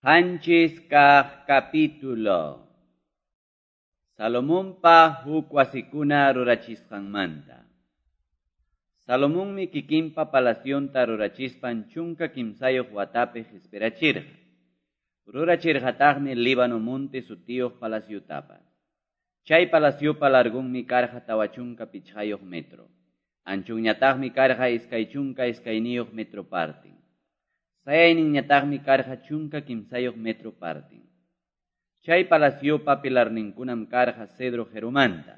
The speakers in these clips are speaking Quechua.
7 kaq capítulo. Salomonpa huk wasikuna rurachisqanmanta. Salomonmi kikinpa palacionta rurachispan 13 watapi qispirachirqa. Rurachirqataqmi Líbano monte sutiyuq palaciotapas. Chay palaciopa largunmi karqa 45 metro. Anchunñataqmi karqa 22 metro partin. Sayayninñataqmi karqa 13 metro partin. Chay palaciopa pilarninkunam karqa cedro qirumanta.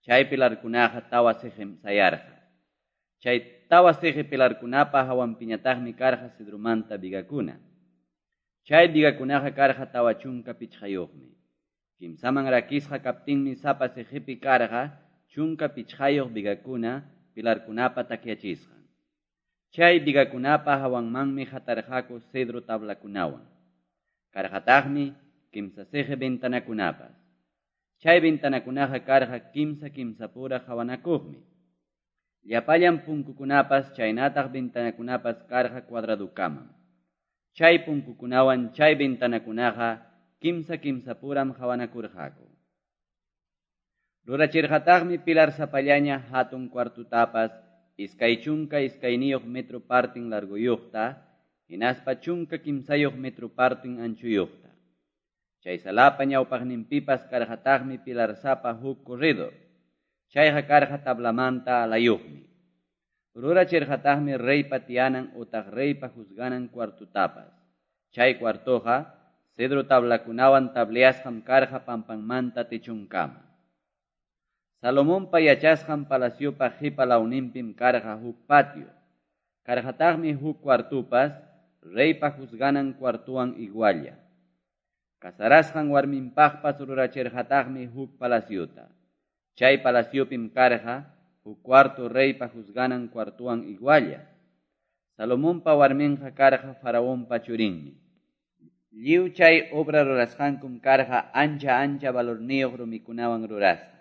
Chay pilarkunaqa tawa siqim sayarqa. Chay tawa siqi pilarkunapa hawanpiñataqmi karqa cedromanta vigakuna. Chay vigakunaqa karqa 45yuqmi. Kimsaman rakisqa kaptinmi sapa siqipi karqa 15 vigakuna pilarkunapa takyachisqan. Chay vigakunapa hawanmanmi hatarqaku cedro tablakunawan. Karqataqmi kimsa siqi ventanakunapas. Chay ventanakunaqa karqa kimsa kimsapura qawanakuqmi. Llapallan punkukunapas chaynataq ventanakunapas karqa cuadradukamam. Chay punkukunawan chay ventanakunaqa kimsa kimsapuram qawanakurqaku. Rurachirqataqmi pilar sapallaña hatun cuartutapas 22 metro partin larguyuqta, hinaspa 13 metro partin anchuyuqta. Chay salapa ñawpaqninpipas karqataqmi pilarsapa huk corredor. Chayqa karqa tablamanta alayuqmi. Rurachirqataqmi reypa tiyanan utaq reypa juzganan cuartutapas. Chay cuartoqa cedro tablakunawan tableasqam karqa pampanmanta techunkama. Salomonpa yachasqan palaciopa qipa lawninpim karqa huk patio. Karqataqmi huk cuartupas reypa juzganan cuartuwan igualla. Casarasqan warminpaqpas rurachirqataqmi huk palaciota. Chay palaciopim karqa huk cuarto reypa juzganan cuartuwan igualla. Salomonpa warminqa karqa faraonpa churinmi. Lliw chay obra rurasqankum karqa ancha ancha valorniyuq rumikunawan rurasqa.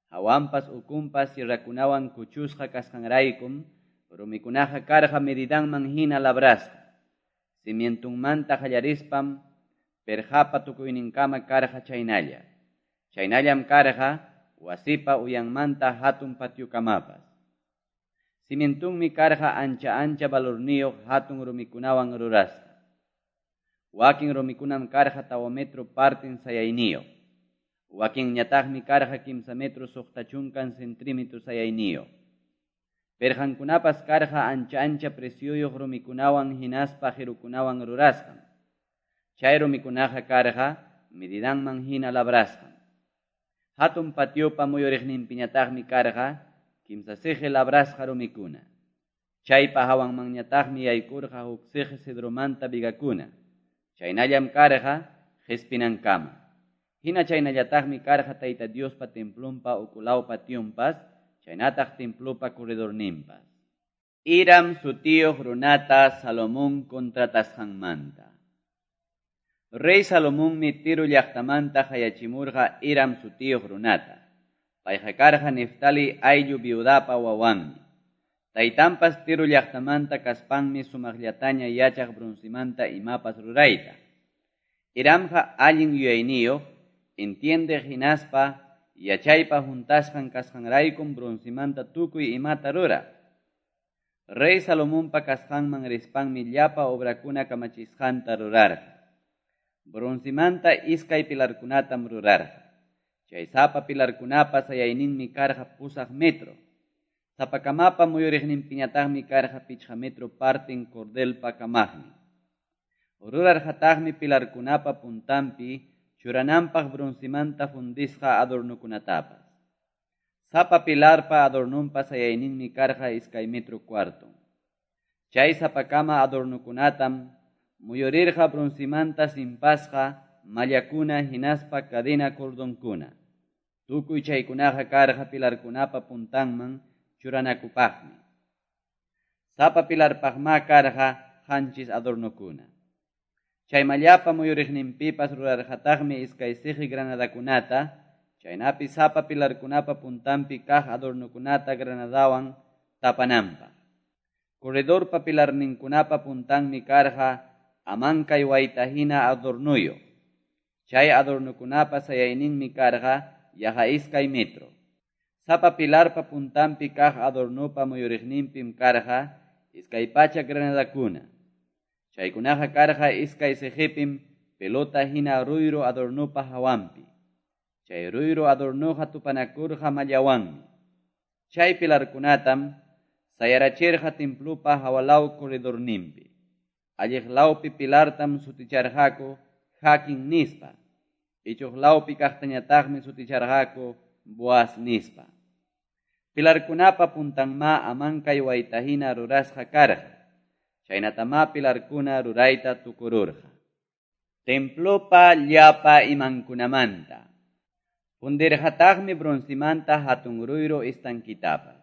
Hawanpas ukunpas sierrakunawan kuchusqa kasqanraykum rumikunaqa karqa medidanman hina labrasqa. Cimientunmanta qallarispam perqapa tukuyninkama karqa chaynalla. Chaynallam karqa wasipa uyanmanta hatun patiokamapas. Cimientunmi karqa ancha ancha valorniyuq hatun rumikunawan rurasqa. Wakin rumikunam karqa 4 metro partin sayayniyuq. Wakinñataqmi karqa 3 metro 60 centímetro sayayniyuq. Perqankunapas karqa ancha ancha precioyuq rumikunawan hinaspa qirukunawan rurasqam. Chay rumikunaqa karqa medidanman hina labrasqam. Hatun patiopa muyuriqninpiñataqmi karqa kimsa siqi labrasqa rumikuna. Chaypa hawanmanñataqmi yaykurqa huk siqi cedromanta vigakuna. Chaynallam karqa qispinankama. Hina chaynallataqmi karqa Tayta Diospa templonpa ukulaw pationpas, chaynataq templopa corredorninpas. Hiram sutiyuq runata Salomón contratasqanmanta. Rey Salomonmi Tiro llaqtamanta qayachimurqa Hiram sutiyuq runata. Payqa karqa Neftali ayllu viudapa wawanmi. Taytanpas Tiro llaqtamanta kaspanmi sumaqllataña yachaq broncemanta imapas rurayta. Hiramqa allin yuyayniyuq, entiende hinaspa yachaypa huntasqan kasqanraykum broncemanta tukuy imata ruraq. Rey Salomonpa kasqanman rispanmi llapa obrakuna kamachisqanta rurarqa. Broncemanta iskay pilarkunatam rurarqa. Chay sapa pilarkunapa sayayninmi karqa 8 metro. Sapakamapa muyuriqninpiñataqmi karqa 5 metro partin cordelpa kamaqnin. Rurarqataqmi pilarkunapa puntanpi churananpaq broncemanta fundisqa adornokunatapas. Sapa pilarpa adornonpa sayayninmi karqa 2 metro cuarton. Chay sapakama adornokunatam muyurirqa broncemanta simpasqa mallakuna hinaspa cadena cordonkuna. Tukuy chaykunaqa karqa pilarkunapa puntanman churanakupaqmi. Sapa pilarpaqma karqa 7 adornokuna. Chay mallapa muyuriqninpipas rurarqataqmi iskay siqi granadakunata, chaynapi sapa pilarkunapa puntanpi kaq adornokunata granadawan tapananpaq. Corredorpa pilarninkunapa puntanmi karqa amankay wayta hina adornuyuq. Chay adornokunapa sayayninmi karqa yaqa 2 metro. Sapa pilarpa puntanpi kaq adornopa muyuriqninpim karqa 200 granadakuna. Chaykunaqa karqa 2 siqipim pelota hina ruyru adornopa hawanpi. Chay ruyru adornoqa tupanakurqa mallawanmi. Chay pilarkunatam sayarachirqa templopa hawalaw corredorninpi. Alliq lawpi pilartam suticharqaku Jaquín nispa. Ichuq lawpi kaqtañataqmi suticharqaku Boaz nispa. Pilarkunapa puntanma amankay wayta hina rurasqa karqa. Chaynatamá pilarkuna rurayta tukururqa. Templopa llapa imankunamanta. Fundirqataqmi broncemanta hatun ruyru estanquitapas.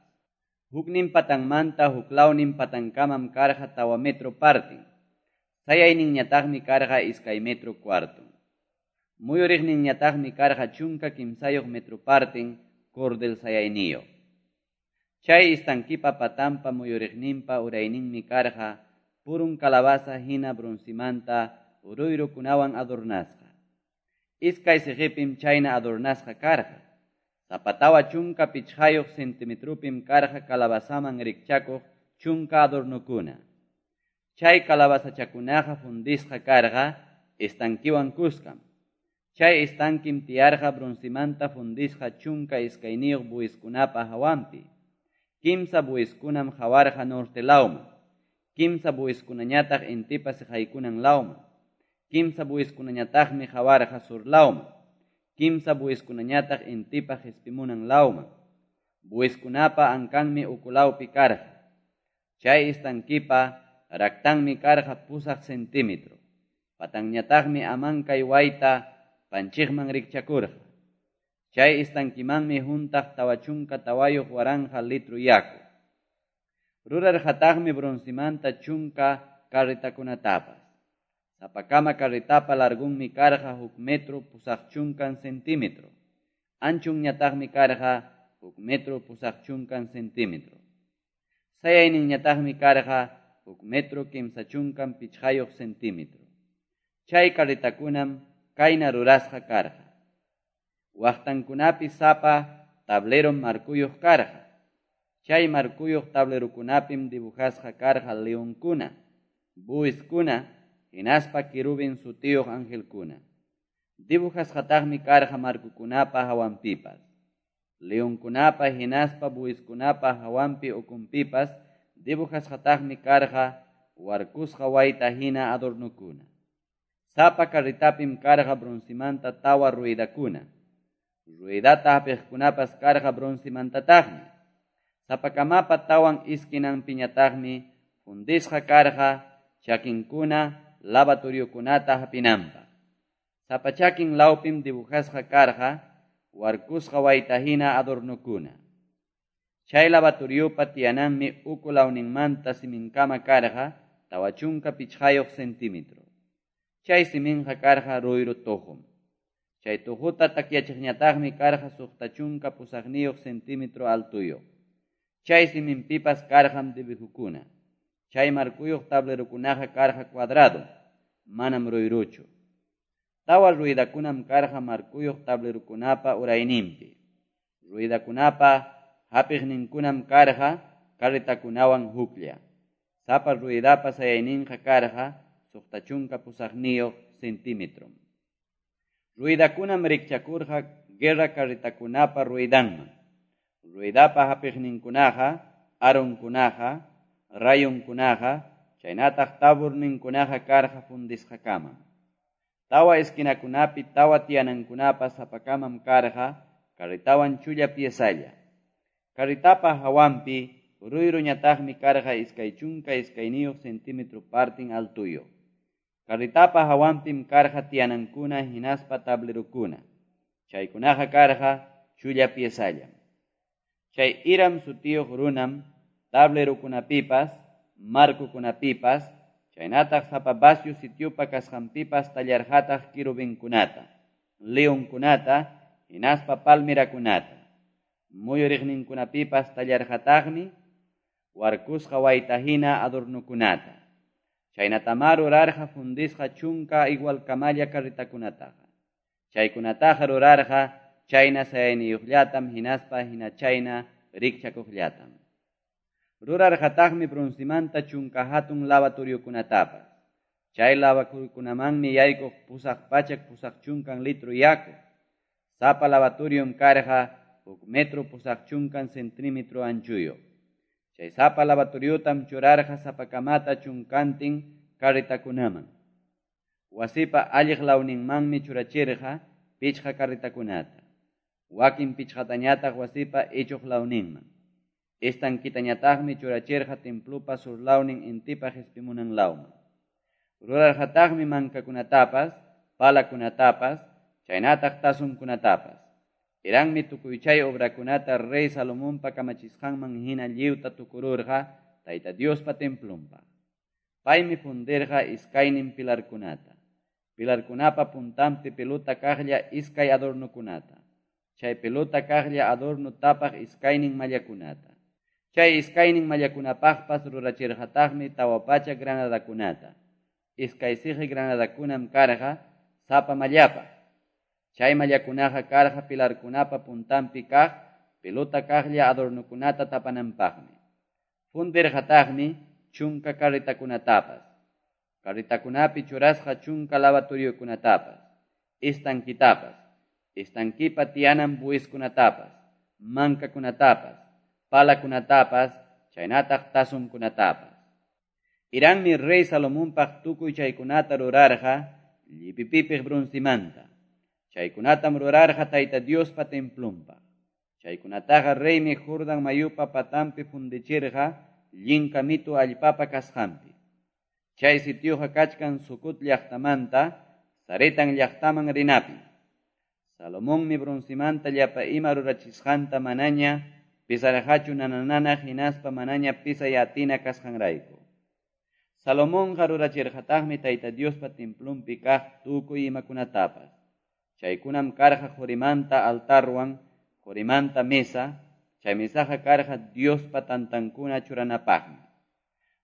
Huknin patanmanta huklawnin patankamam karqa 4 metro partin. Sayayninñataqmi karqa 2 metro cuarton. Muyuriqninñataqmi karqa 13 metro partin cordel sayayniyuq. Chay estanquipa patanpa muyuriqninpa urayninmi karqa purun calabaza hina broncemanta ruyrukunawan adornasqa. 2 siqipim chayna adornasqa karqa. Sapa 45 centimetrupim karqa calabazaman rikchakuq 10 adornokuna. Chay calabazachakunaqa fundisqa karqa estanquiwan kuskam. Chay estanquim tiyarqa broncemanta fundisqa 12 bueyeskunapa hawanpi. 3 bueyeskunam hawarqa norte lawman. 3 bueyeskunañataq intipa siqaykunan lawman. 3 bueyeskunañataqmi hawarqa sur lawman. 3 bueyeskunañataq intipa qispimunan lawman. Bueyeskunapa ankanmi ukulawpi karqa. Chay estanquipa raktanmi karqa 8 centímetro. Patanñataqmi amankay wayta panchiqman rikchakurqa. Chay estanquimanmi huntaq 44,000 litro yaku. Rurarqataqmi broncemanta 10 carretakunatapas. Sapakama carretapa largunmi karqa 1 metro 80 centímetro. Anchunñataqmi karqa 1 metro 80 centímetro. Sayayninñataqmi karqa 1 metro 35 centímetro. Chay carretakunam kayna rurasqa karqa. Waqtankunapi sapa tablerom markuyuq karqa. Chay markuyuq tablerukunapim dibujasqa karqa leonkuna, bueyeskuna, hinaspa querubín sutiyuq angelkuna. Dibujasqataqmi karqa markukunapa hawanpipas. Leonkunapa hinaspa bueyeskunapa hawanpi ukunpipas dibujasqataqmi karqa warkusqa wayta hina adornokuna. Sapa carretapim karqa broncemanta 4 ruedakuna. Ruedata hapiqkunapas karqa broncemantataqmi. Sapakamapa 4 esquinanpiñataqmi fundisqa karqa chakinkuna lavatoriokunata hapinanpaq. Sapa chakin lawpim dibujasqa karqa warkusqa wayta hina adornokuna. Chay lavatoriopa tiyananmi uku lawninmanta siminkama karqa 45 centímetro. Chay siminqa karqa ruyru tuqum. Chay tuquta takyachiqñataqmi karqa 68 centímetro altuyuq. Chay siminpipas karqam dibujukuna. Chay markuyuq tablerukunaqa karqa cuadrado, manam ruyruchu. 4 ruedakunam karqa markuyuq tablerukunapa urayninpi. Ruedakunapa hapiqninkunam karqa carretakunawan huklla. Sapa ruedapa sayayninqa karqa 68 centímetro. Ruedakunam rikchakurqa guerra carretakunapa ruedanman. Ruedapa hapiqninkunaqa, aronkunaqa, rayonkunaqa, chaynataq taburninkunaqa karqa fundisqakamam. 4 esquinakunapi 4 tiyanankunapas sapakamam karqa carretawan chulla piezalla. Carretapa hawanpi ruyruñataqmi karqa 22 centímetro partin altuyuq. Carretapa hawanpim karqa tiyanankuna hinaspa tablerukuna. Chaykunaqa karqa chulla piezallam. Chay Hiram sutiyuq runam tablerukunapipas, markukunapipas, chaynataq sapa vacio sitiopa kasqanpipas tallarqataq querubinkunata, leonkunata, hinaspa palmerakunata. Muyuriqninkunapipas tallarqataqmi warkusqa wayta hina adornokunata. Chaynatamá rurarqa fundisqa 10 igualkamalla carretakunataqa. Chaykunataqa rurarqa chayna sayayniyuqllatam hinaspa hina chayna rikchakuqllatam. Rurarqataqmi broncemanta 10 hatun lavatoriokunatapas. Chay lavatoriokunamanmi yaykuq 880 litro yaku. Sapa lavatorium karqa 1 metro 80 centímetro anchuyuq. Chay sapa lavatoriotam churarqa sapakamata 10 carretakunaman. Wasipa alliq lawninmanmi churachirqa 5 carretakunata. Wakin 5tañataq wasipa ichuq lawninman. Estanquitañataqmi churachirqa templopa sur lawnin intipa qispimunan lawman. Rurarqataqmi mankakunatapas, palakunatapas, chaynataq tazonkunatapas. Hirammi tukuy chay obrakunata rey Salomonpa kamachisqanman hina lliwta tukururqa Tayta Diospa templonpaq. Paymi fundirqa iskaynin pilarkunata. Pilarkunapa puntanpi pelota kaqlla iskay adornokunata. Chay pelota kaqlla adorno tapaq iskaynin mallakunata. Chay iskaynin mallakunapaqpas rurachirqataqmi 400 granadakunata. Iskay siqi granadakunam karqa sapa mallapaq. Chay mallakunaqa karqa pilarkunapa puntanpi kaq pelota kaqlla adornokunata tapananpaqmi. Fundirqataqmi 10 carretakunatapas. Carretakunapi churasqa 10 lavatoriokunatapas, estanquitapas, estanquipa tiyanan bueskunatapas, mankakunatapas, palakunatapas, chaynataq tazonkunatapas. Hirammi rey Salomonpaq tukuy chaykunata rurarqa llipipipiq broncemanta. Chaykunatam rurarqa Tayta Diospa templonpaq. Chaykunataqa reymi Jordan mayupa patanpi fundichirqa llinka mitu allpapa kasqanpi. Chay sitioqa kachkan Sucot llaqtamanta Saretan llaqtaman rinapi. Salomonmi broncemanta llapa ima rurachisqanta manaña pisarqachu nanananaq hinaspa manaña pisay atina kasqanrayku. Salomonqa rurachirqataqmi Tayta Diospa templonpi kaq tukuy imakunatapas. Chaykunam karqa qorimanta altarwan, qorimanta mesa, chay mesaqa karqa Diospa tantankuna churanapaqmi.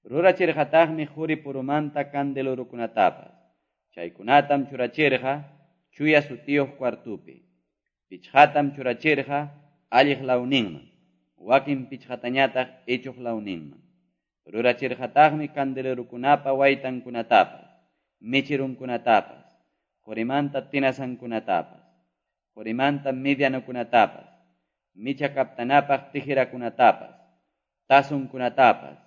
Rurachirqataqmi qori purumanta candelorukunatapas. Chaykunatam churachirqa chuya sutiyuq cuartupi. 5tam churachirqa alliq lawninman, wakin 5tañataq ichuq lawninman. Rurachirqataqmi candelerukunapa waytankunatapas, mecherunkunatapas, qorimanta tinasankunatapas, qorimanta medianokunatapas, micha kaptanapaq tijerakunatapas, tazonkunatapas,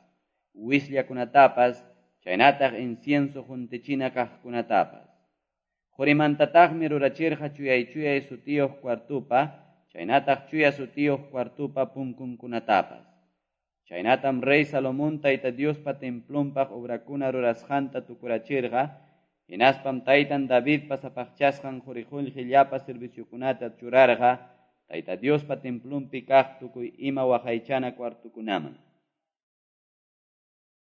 wisllakunatapas, chaynataq incienso juntichina kaqkunatapas. Qorimantataqmi rurachirqa chuyay-chuyay sutiyuq cuartupa, chaynataq chuya sutiyuq cuartupa punkunkunatapas. Chaynatam rey Salomón Tayta Diospa templonpaq obrakuna rurasqanta tukurachirqa, hinaspam taytan Davidpa sapaqchasqan qori-qullqi llapa serviciokunata churarqa Tayta Diospa templonpi kaq tukuy ima waqaychana cuartukunaman.